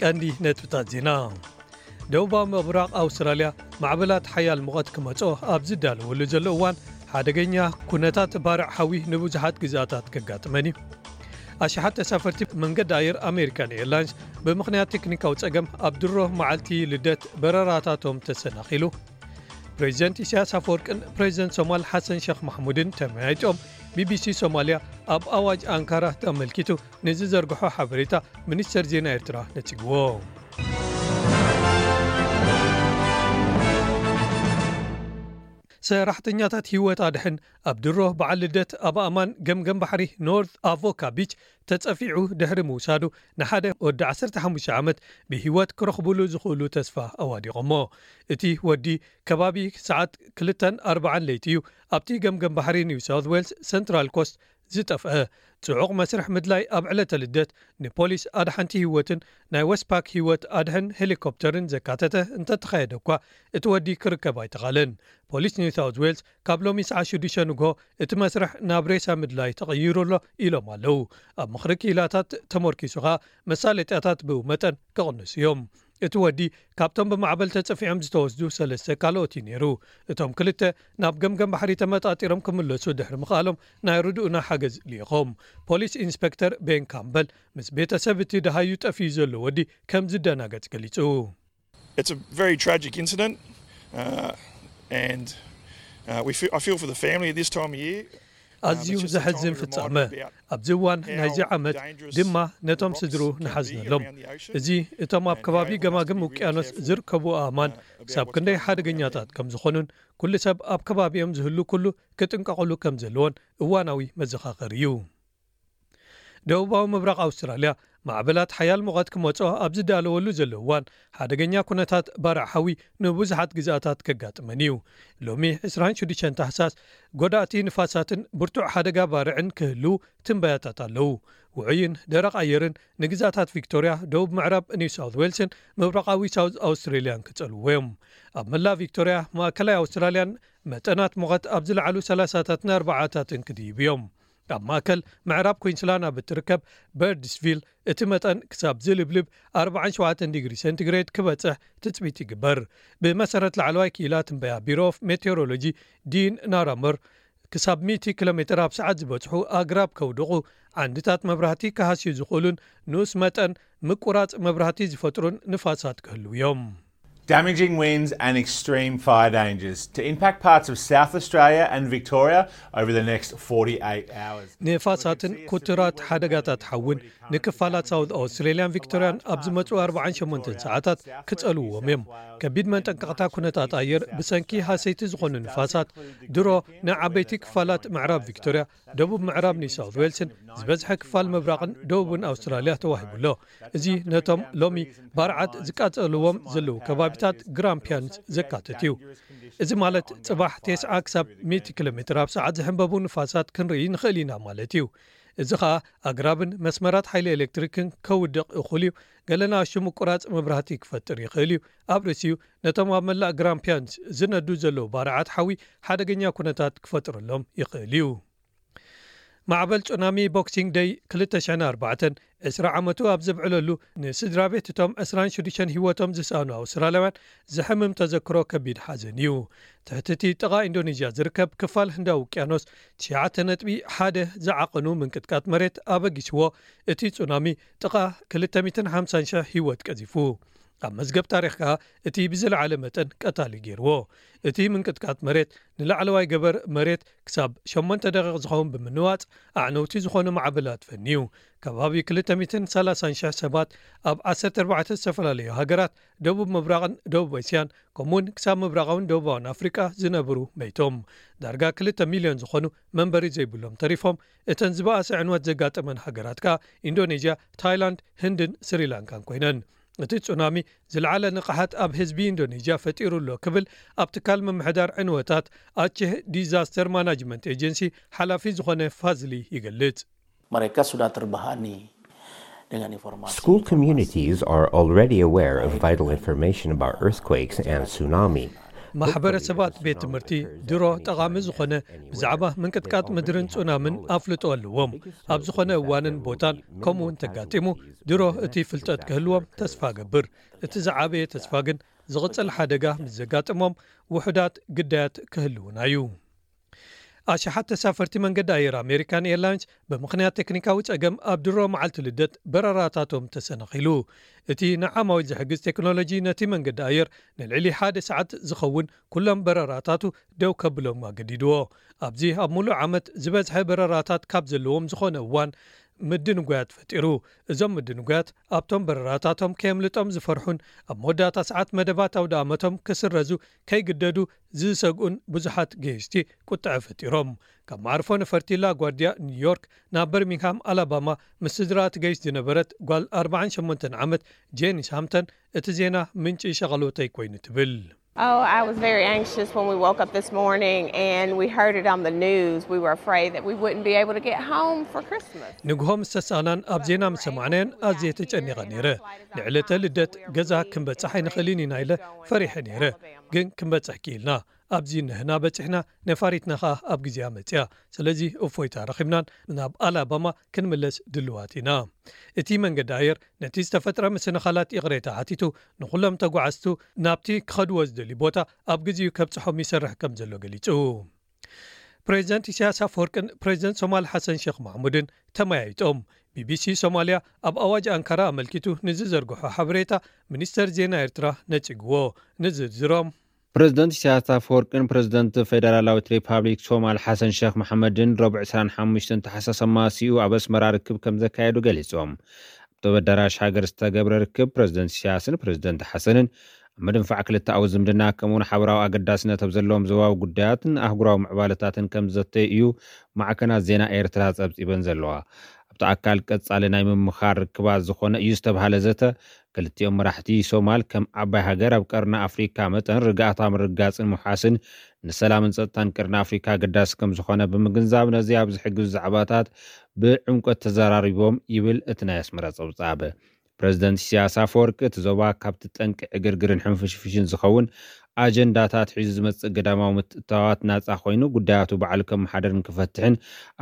ቀንዲ ነጥብታት ዜና። ደቡባዊ ምብራቕ ኣውስትራልያ ማዕበላት ሓያል ሙቐት ክመጾ ኣብ ዝዳለወሉ ዘሎ እዋን፣ ሓደገኛ ኩነታት ባርዕ ሓዊ ንብዙሓት ግዝኣታት ከጋጥመን እዩ። ኣሽሓት ተሳፈርቲ መንገዲ ኣየር ኣሜሪካን ኤርላይንስ ብምኽንያት ቴክኒካዊ ጸገም ኣብ ድሮ መዓልቲ ልደት በረራታቶም ተሰናኺሉ። ፕሬዚደንት ኢሳያስ ኣፈወርቅን ፕሬዚደንት ሶማል ሓሰን ሸኽ ማሕሙድን ተመያይጦም። ቢቢሲ ሶማልያ ኣብ ኣዋጅ ኣንካራ ተመልኪቱ ንዝዘርግሖ ሓበሬታ ሚኒስተር ዜና ኤርትራ ነጺግዎ። ሰራሕተኛታት ህይወት ኣድሕን ኣብ ድሮ በዓል ልደት ኣብ ኣማን ገምገም ባሕሪ ኖርት ኣቮካ ቢች ተጸፊዑ ድሕሪ ምውሳዱ፣ ንሓደ ወዲ ዓሰርተ ሓሙሽተ ዓመት ብህይወት ክረኽቡሉ ዝኽእሉ ተስፋ ኣዋዲቖሞ። እቲ ወዲ ከባቢ ሰዓት ክልተን ኣርባዓን ለይቲ እዩ ኣብቲ ገምገም ባሕሪ ኒው ሳውት ዌልስ ሰንትራል ኮስት ዝጠፍአ። ጽዑቕ መስርሕ ምድላይ ኣብ ዕለተ ልደት ንፖሊስ ኣድሓንቲ ህይወትን ናይ ወስፓክ ህይወት ኣድሕን ሄሊኮፕተርን ዘካተተ እንተተኻየደ እኳ፣ እቲ ወዲ ክርከብ ኣይተኻለን። ፖሊስ ኒው ሳውት ዌልስ ካብ ሎሚ ሰዓት ሽዱሽተ ንግሆ እቲ መስርሕ ናብ ሬሳ ምድላይ ተቐይሩ ኣሎ ኢሎም ኣለዉ። ኣብ ምኽሪ ክኢላታት ተመርኪሱ ኸኣ መሳለጥያታት ብኡ መጠን ክቕንሱ እዮም። እቲ ወዲ ካብቶም ብማዕበል ተጸፊዖም ዝተወስዱ ሰለስተ ካልኦት እዩ ነይሩ። እቶም ክልተ ናብ ገምገም ባሕሪ ተመጣጢሮም ክምለሱ ድሕሪ ምኽኣሎም ናይ ርድኡና ሓገዝ ልኢኾም። ፖሊስ ኢንስፔክተር ቤን ካምበል ምስ ቤተሰብ እቲ ደሃዩ ጠፊኡ ዘሎ ወዲ ከም ዝደናገጽ ገሊጹ። It's a very tragic incident, uh, and uh, we feel, I feel for the family at this time of year. ኣዝዩ ዘሕዝን ፍጻመ። ኣብዚ እዋን ናይዚ ዓመት ድማ ነቶም ስድሩ ንሓዝነሎም። እዚ እቶም ኣብ ከባቢ ገማግም ውቅያኖስ ዝርከቡ ኣእማን ክሳብ ክንደይ ሓደገኛታት ከም ዝኾኑን ኩሉ ሰብ ኣብ ከባቢኦም ዝህሉ ኩሉ ክጥንቀቕሉ ከም ዘለዎን እዋናዊ መዘኻኸሪ እዩ። ደቡባዊ ምብራቕ ኣውስትራልያ ማዕበላት ሓያል ሙቐት ክመጾ ኣብ ዝዳለወሉ ዘሎ እዋን፣ ሓደገኛ ኩነታት ባርዕ ሓዊ ንብዙሓት ግዝኣታት ከጋጥመን እዩ። ሎሚ ዕስራን ሽዱሽተን ታሕሳስ፣ ጎዳእቲ ንፋሳትን ብርቱዕ ሓደጋ ባርዕን ክህልዉ ትንበያታት ኣለዉ። ውዑይን ደረቕ ኣየርን ንግዝኣታት ቪክቶርያ፣ ደቡብ ምዕራብ ኒው ሳውት ዌልስን ምብራቓዊ ሳውት ኣውስትሬልያን ክጸልውዎ እዮም። ኣብ መላእ ቪክቶርያ፣ ማእከላይ ኣውስትራልያን መጠናት ሙቐት ኣብ ዝለዓሉ ሰላሳታትን ኣርባዓታትን ክድይቡ እዮም። ኣብ ማእከል ምዕራብ ኩንስላንድ ኣብ እትርከብ በርድስቪል እቲ መጠን ክሳብ ዝልብልብ ኣርባዓን ሸውዓተን ዲግሪ ሴንቲግሬድ ክበጽሕ ትጽቢት ይግበር። ብመሰረት ላዕለዋይ ክኢላ ትንበያ ቢሮ ኦፍ ሜቴዎሮሎጂ ዲን ናራመር፣ ክሳብ ሚእቲ ኪሎ ሜትር ኣብ ሰዓት ዝበጽሑ ኣግራብ ከውድቑ፣ ዓንድታት መብራህቲ ክሃስዩ ዝኽእሉን ንኡስ መጠን ምቁራጽ መብራህቲ ዝፈጥሩን ንፋሳት ክህልዉ እዮም። Damaging winds and extreme fire dangers to impact parts of South Australia and Victoria over the next forty-eight hours. ንፋሳትን ኩትራት ሓደጋታት ሓውን ንክፋላት ሳውት ኣውስትሬልያን ቪክቶርያን ኣብ ዝመጹ ኣርባዓን ሸሞንተን ሰዓታት ክጸልውዎም እዮም። ከቢድ መንጠንቀቕታ ኩነታት ኣየር ብሰንኪ ሃሰይቲ ዝኾኑ ንፋሳት ድሮ ንዓበይቲ ክፋላት ምዕራብ ቪክቶርያ፣ ደቡብ ምዕራብ ኒው ሳውት ዌልስን ዝበዝሐ ክፋል ምብራቕን ደቡብን ኣውስትራልያ ተዋሂቡ ኣሎ። እዚ ነቶም ሎሚ ባርዓት ዝቃጸልዎም ዘለዉ ከባቢታት ግራምፒያንስ ዘካትት እዩ። እዚ ማለት ጽባሕ ተስዓ ክሳብ ሚእቲ ኪሎ ሜትር ኣብ ሰዓት ዝሕንበቡ ንፋሳት ክንርኢ ንኽእል ኢና ማለት እዩ። እዚ ኸኣ ኣግራብን መስመራት ሓይሊ ኤሌክትሪክን ከውድቕ እኹል እዩ። ገለ ንኣሽቱ ምቁራጽ መብራህቲ ክፈጥር ይኽእል እዩ። ኣብ ርእሲኡ ነቶም ኣብ መላእ ግራምፒያንስ ዝነዱ ዘለዉ ባርዓት ሓዊ ሓደገኛ ኩነታት ክፈጥረሎም ይኽእል እዩ። ማዕበል ጹናሚ ቦክሲንግ ደይ ክልተ ሽሕን ኣርባዕተን ዕስራ ዓመቱ ኣብ ዘብዕለሉ፣ ንስድራ ቤት እቶም ዕስራን ሽዱሽተን ህይወቶም ዝሰኣኑ ኣውስትራልያውያን ዘሕምም ተዘክሮ ከቢድ ሓዘን እዩ። ትሕቲ እቲ ጥቓ ኢንዶኔዥያ ዝርከብ ክፋል ህንዳዊ ውቅያኖስ ትሽዓተ ነጥቢ ሓደ ዝዓቐኑ ምንቅጥቃጥ መሬት ኣበጊስዎ፣ እቲ ጹናሚ ጥቓ ክልተ ሚእትን ሓምሳን ሽሕ ህይወት ቀዚፉ። ኣብ መዝገብ ታሪኽ ከኣ እቲ ብዝለዓለ መጠን ቀታሊ ገይርዎ። እቲ ምንቅጥቃጥ መሬት ንላዕለዋይ ገበር መሬት ክሳብ ሸሞንተ ደቂቕ ዝኸውን ብምንዋጽ፣ ኣዕነውቲ ዝኾኑ ማዕበላት ፈንዩ። ከባቢ ክልተ ሚእትን ሰላሳን ሽሕ ሰባት ኣብ ዓሰርተ ኣርባዕተ ዝተፈላለዩ ሃገራት ደቡብ ምብራቕን ደቡብ እስያን፣ ከምኡውን ክሳብ ምብራቓውን ደቡባውን ኣፍሪቃ ዝነብሩ መይቶም። ዳርጋ ክልተ ሚልዮን ዝኾኑ መንበሪ ዘይብሎም ተሪፎም። እተን ዝበኣሰ ዕንወት ዘጋጠመን ሃገራት ከኣ ኢንዶኔዥያ፣ ታይላንድ፣ ህንድን ስሪላንካን ኮይነን። እቲ ጹናሚ ዝለዓለ ንቕሓት ኣብ ህዝቢ ኢንዶኔዥያ ፈጢሩ ኣሎ ክብል ኣብ ትካል ምምሕዳር ዕንወታት ኣቼህ ዲዛስተር ማናጅመንት ኤጀንሲ ሓላፊ ዝኾነ ፋዝሊ ይገልጽ። Mereka sudah terbebani dengan informasi. School communities are already aware of vital information about earthquakes and tsunami. ማሕበረሰባት ቤት ትምህርቲ ድሮ ጠቓሚ ዝኾነ ብዛዕባ ምንቅጥቃጥ ምድርን ጹናምን ኣፍልጦ ኣለዎም። ኣብ ዝኾነ እዋንን ቦታን ከምኡ እንተጋጢሙ ድሮ እቲ ፍልጠት ክህልዎም ተስፋ ገብር። እቲ ዝዓበየ ተስፋ ግን ዝቕጽል ሓደጋ ምስ ዘጋጥሞም ውሑዳት ግዳያት ክህልውና እዩ። ኣሽሓት ተሳፈርቲ መንገዲ ኣየር ኣሜሪካን ኤርላይንስ ብምኽንያት ቴክኒካዊ ጸገም ኣብ ድሮ መዓልቲ ልደት በረራታቶም ተሰናኺሉ። እቲ ንዓማዊል ዝሕግዝ ቴክኖሎጂ ነቲ መንገዲ ኣየር ንልዕሊ ሓደ ሰዓት ዝኸውን ኩሎም በረራታቱ ደው ከብሎም ኣገዲድዎ። ኣብዚ ኣብ ሙሉእ ዓመት ዝበዝሐ በረራታት ካብ ዘለዎም ዝኾነ እዋን ምድንጓያት ፈጢሩ። እዞም ምድንጓያት ኣብቶም በረራታቶም ከየምልጦም ዝፈርሑን ኣብ መወዳእታ ሰዓት መደባት ኣውደ ኣመቶም ክስረዙ ከይግደዱ ዝሰግኡን ብዙሓት ገየሽቲ ቁጥዐ ፈጢሮም። ካብ መዓርፎ ነፈርቲ ላጓርዲያ ኒውዮርክ ናብ በርሚንግሃም ኣላባማ ምስ ስድራ ትገይሽ ዝነበረት ጓል ኣርባዓን ሸሞንተን ዓመት ጄኒስ ሃምተን እቲ ዜና ምንጪ ሸቐሎተይ ኮይኑ ትብል። Oh, I was very anxious when we woke up this morning and we heard it on the news. We were afraid that we wouldn't be able to get home for Christmas. ንግሆ ምስ ተሳእናን ኣብ ዜና ምስ ሰማዕናዮን ኣዝየ ተጨኒቐ ነይረ። ንዕለተ ልደት ገዛ ክንበጽሕ ኣይንኽእልን ኢና ኢለ ፈሪሐ ነይረ። ግን ክንበጽሕ ክኢልና። ኣብዚ ንህና በጺሕና፣ ነፋሪትና ኸኣ ኣብ ግዜኣ መጺኣ። ስለዚ እፎይታ ረኺብናን ናብ ኣላባማ ክንምለስ ድልዋት ኢና። እቲ መንገዲ ኣየር ነቲ ዝተፈጥረ ምስንኻላት ይቕሬታ ሓቲቱ፣ ንኹሎም ተጓዓዝቱ ናብቲ ክኸድዎ ዝደልዩ ቦታ ኣብ ግዜኡ ከብጽሖም ይሰርሕ ከም ዘሎ ገሊጹ። ፕሬዚደንት ኢሳያስ ኣፈወርቅን ፕሬዚደንት ሶማል ሓሰን ሼክ ማሕሙድን ተመያይጦም። ቢቢሲ ሶማልያ ኣብ ኣዋጅ ኣንካራ ኣመልኪቱ ንዝዘርግሖ ሓበሬታ ሚኒስተር ዜና ኤርትራ ነጺግዎ። ንዝርዝሮም ፕሬዚደንት ኢሳያስ ኣፈወርቅን ፕሬዚደንት ፌደራላዊት ሪፓብሊክ ሶማል ሓሰን ሼክ መሐመድን ረቡዕ ዕስራን ሓሙሽተን ታሕሳስ ኣማሲኡ ኣብ ኣስመራ ርክብ ከም ዘካየዱ ገሊጾም። ኣብቲ ኣዳራሽ ሃገር ዝተገብረ ርክብ ፕሬዚደንት ኢሳያስን ፕሬዚደንት ሓሰንን ኣብ ምድንፋዕ ክልተኣዊ ዝምድና ከምኡውን ሓበራዊ ኣገዳስነት ኣብ ዘለዎም ዞባዊ ጉዳያትን ኣህጉራዊ ምዕባለታትን ከም ዘተዩ እዩ ማዕከናት ዜና ኤርትራ ጸብጺበን ዘለዋ። ኣብቲ ኣካል ቀጻሊ ናይ ምምኻር ርክባት ዝኾነ እዩ ዝተባሃለ ዘተ ክልቲኦም መራሕቲ ሶማል ከም ዓባይ ሃገር ኣብ ቀርኒ ኣፍሪካ መጠን ርግኣታ ምርግጋጽን ምውሓስን ንሰላምን ጸጥታን ቀርኒ ኣፍሪካ ኣገዳሲ ከም ዝኾነ ብምግንዛብ ነዚ ኣብ ዝሕግዙ ዛዕባታት ብዕምቆት ተዘራሪቦም ይብል እቲ ናይ ኣስመራ ጸብጻብ። ፕሬዚደንት ኢሳያስ ኣፈወርቂ እቲ ዞባ ካብቲ ጠንቂ ዕግርግርን ሕንፍሽፍሽን ዝኸውን ኣጀንዳታት ሒዙ ዝመጽእ ግዳማዊ ምትእትታዋት ናጻ ኮይኑ ጉዳያቱ ባዕሉ ከመሓደርን ክፈትሕን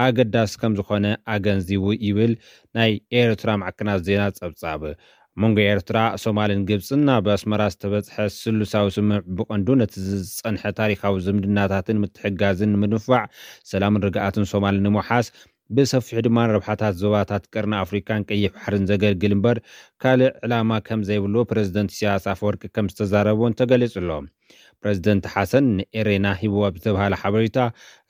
ኣገዳሲ ከም ዝኾነ ኣገንዚቡ ይብል ናይ ኤርትራ ማዕከናት ዜና ጸብጻብ። ኣብ መንጎ ኤርትራ፣ ሶማልን ግብጽን ኣብ ኣስመራ ዝተበጽሐ ስሉሳዊ ስምምዕ ብቐንዱ ነቲ ዝጸንሐ ታሪኻዊ ዝምድናታትን ምትሕግጋዝን ንምድንፋዕ፣ ሰላምን ርግኣትን ሶማልን ንምውሓስ፣ ብሰፊሑ ድማ ንረብሓታት ዞባታት ቀርኒ ኣፍሪካን ቀይሕ ባሕርን ዘገልግል እምበር ካልእ ዕላማ ከም ዘይብሉ ፕረዚደንት ኢሳያስ ኣፈወርቂ ከም ዝተዛረበ እውን ተገሊጹ ኣሎ። ፕረዚደንት ሓሰን ንኤሬና ሂብዎ ብዝተባሃለ ሓበሬታ፣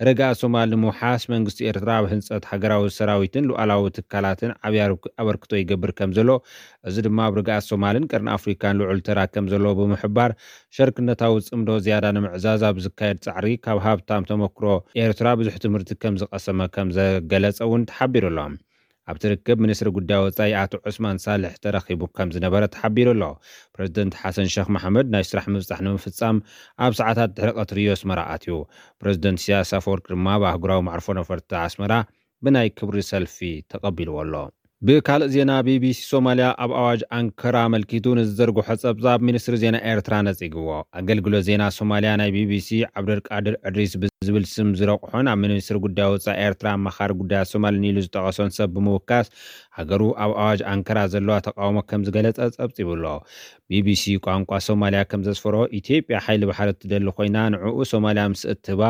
ርግኣት ሶማል ንምውሓስ መንግስቲ ኤርትራ ኣብ ህንጸት ሃገራዊ ሰራዊትን ሉዓላዊ ትካላትን ዓብዪ ኣበርክቶ ይገብር ከም ዘሎ፣ እዚ ድማ ኣብ ርግኣት ሶማልን ቀርኒ ኣፍሪካን ልዑል ተራ ከም ዘለዎ ብምሕባር፣ ሸርክነታዊ ጽምዶ ዝያዳ ንምዕዛዝ ኣብ ዝካየድ ጻዕሪ ካብ ሃብታም ተመክሮ ኤርትራ ብዙሕ ትምህርቲ ከም ዝቐሰመ ከም ዘገለጸ እውን ተሓቢሩ ኣሎ። ኣብቲ ርክብ ሚኒስትሪ ጉዳይ ወጻኢ ኣቶ ዑስማን ሳልሕ ተረኺቡ ከም ዝነበረ ተሓቢሩ ኣሎ። ፕረዚደንት ሓሰን ሸኽ መሓመድ ናይ ስራሕ ምብጻሕ ንምፍጻም ኣብ ሰዓታት ድሕሪ ቀትሪ እዩ ኣስመራ ኣትዩ። ፕረዚደንት ኢሳያስ ኣፈወርቂ ድማ ኣብ ኣህጉራዊ መዕርፎ ነፈርቲ ኣስመራ ብናይ ክብሪ ሰልፊ ተቐቢልዎ ኣሎ። ብካልእ ዜና፣ ቢቢሲ ሶማልያ ኣብ ኣዋጅ ኣንከራ ኣመልኪቱ ንዝዘርግሖ ጸብጻብ ሚኒስትሪ ዜና ኤርትራ ነጺግዎ። ኣገልግሎት ዜና ሶማልያ ናይ ቢቢሲ ዓብደልቃድር ዕድሪስ ብዝብል ስም ዝረቑሖን ኣብ ሚኒስትሪ ጉዳይ ወጻኢ ኤርትራ ኣማኻሪ ጉዳያት ሶማልን ኢሉ ዝጠቐሶን ሰብ ብምውካስ፣ ሃገሩ ኣብ ኣዋጅ ኣንከራ ዘለዋ ተቃውሞ ከም ዝገለጸ ጸብጺቡ ኣሎ። ቢቢሲ ቋንቋ ሶማልያ ከም ዘስፈሮ፣ ኢትዮጵያ ሓይሊ ባሕሪ እትደሊ ኮይና፣ ንዕኡ ሶማልያ ምስ እትህባ፣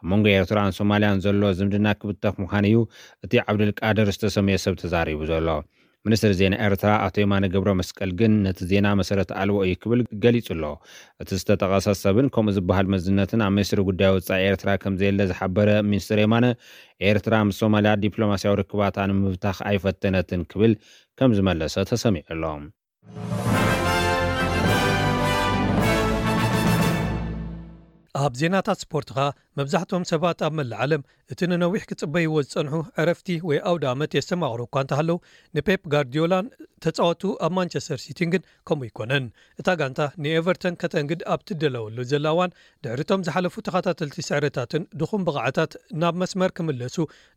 ኣብ መንጎ ኤርትራን ሶማልያን ዘሎ ዝምድና ክብተኽ ምዃኑ እዩ እቲ ዓብደልቃድር ዝተሰምየ ሰብ ተዛሪቡ ዘሎ። ሚኒስትር ዜና ኤርትራ ኣቶ የማነ ገብረ መስቀል ግን ነቲ ዜና መሰረት ኣልቦ እዩ ክብል ገሊጹ ኣሎ። እቲ ዝተጠቐሰ ሰብን ከምኡ ዝበሃል መዝነትን ኣብ ሚኒስትሪ ጉዳይ ወጻኢ ኤርትራ ከም ዘየለ ዝሓበረ ሚኒስትር የማነ፣ ኤርትራ ምስ ሶማልያ ዲፕሎማስያዊ ርክባታ ንምብታኽ ኣይፈተነትን ክብል ከም ዝመለሰ ተሰሚዑ ኣሎ። ኣብ ዜናታት ስፖርት ኸኣ፣ መብዛሕትኦም ሰባት ኣብ መላእ ዓለም እቲ ንነዊሕ ክጽበይዎ ዝጸንሑ ዕረፍቲ ወይ ኣውደ ኣመት የስተማቕሩ እኳ እንተሃለዉ፣ ንፔፕ ጋርዲዮላን ተጻወቱ ኣብ ማንቸስተር ሲቲን ግን ከምኡ ኣይኮነን። እታ ጋንታ ንኤቨርተን ከተንግድ ኣብ ትደለወሉ ዘላ እዋን፣ ድሕሪቶም ዝሓለፉ ተኸታተልቲ ስዕረታትን ድኹም ብቕዓታት ናብ መስመር ክምለሱ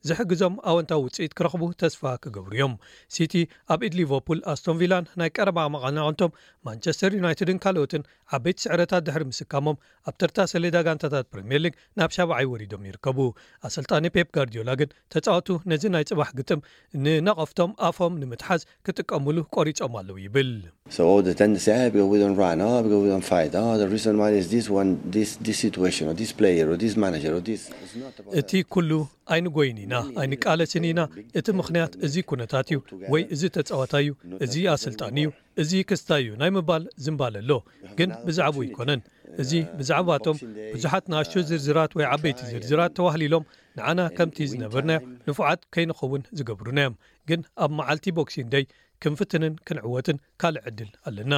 ዝሕግዞም ኣወንታዊ ውጽኢት ክረኽቡ ተስፋ ክገብሩ እዮም። ሲቲ ኣብ ኢድ ሊቨርፑል፣ ኣስቶን ቪላን ናይ ቀረባ መቐናቕንቶም ማንቸስተር ዩናይትድን ካልኦትን ዓበይቲ ስዕረታት ድሕሪ ምስካሞም፣ ኣብ ተርታ ሰሌዳ ጋንታታት ፕሪምየር ሊግ ናብ ሻብዓይ ወሪዶም ይርከቡ። ኣሰልጣኒ ፔፕ ጋርዲዮላ ግን ተጻወቱ ነዚ ናይ ጽባሕ ግጥም ንነቐፍቶም ኣፎም ንምትሓዝ ክጥቀሙሉ ቆሪጾም ኣለዉ ይብል። So all the tendency, ah, because we don't run, ah, because we don't fight, ah, the reason why is this one, this this situation, or this player, or this manager, or this. It's not about እቲ ኩሉ ኣይንጎይን ኢና፣ ኣይንቃለስን ኢና። እቲ ምኽንያት እዚ ኩነታት እዩ፣ ወይ እዚ ተጻዋታይ እዩ፣ እዚ ኣሰልጣኒ እዩ፣ እዚ ክስታይ እዩ ናይ ምባል ዝንባለ ኣሎ። ግን ብዛዕባኡ ኣይኮነን። እዚ ብዛዕባቶም ብዙሓት ንኣሽቱ ዝርዝራት ወይ ዓበይቲ ዝርዝራት ተዋህሊሎም ንዓና ከምቲ ዝነበርናዮ ንፉዓት ከይንኸውን ዝገብሩና እዮም። ግን ኣብ መዓልቲ ቦክሲንግ ደይ ክንፍትንን ክንዕወትን ካልእ ዕድል ኣለና።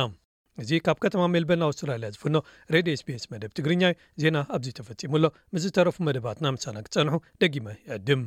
እዚ ካብ ከተማ ሜልበርን ኣውስትራልያ ዝፍኖ ሬድዮ ኤስቢኤስ መደብ ትግርኛ እዩ። ዜና ኣብዚ ተፈጺሙ ኣሎ። ምስ ዝተረፉ መደባትና ምሳና ክጸንሑ ደጊመ ይዕድም።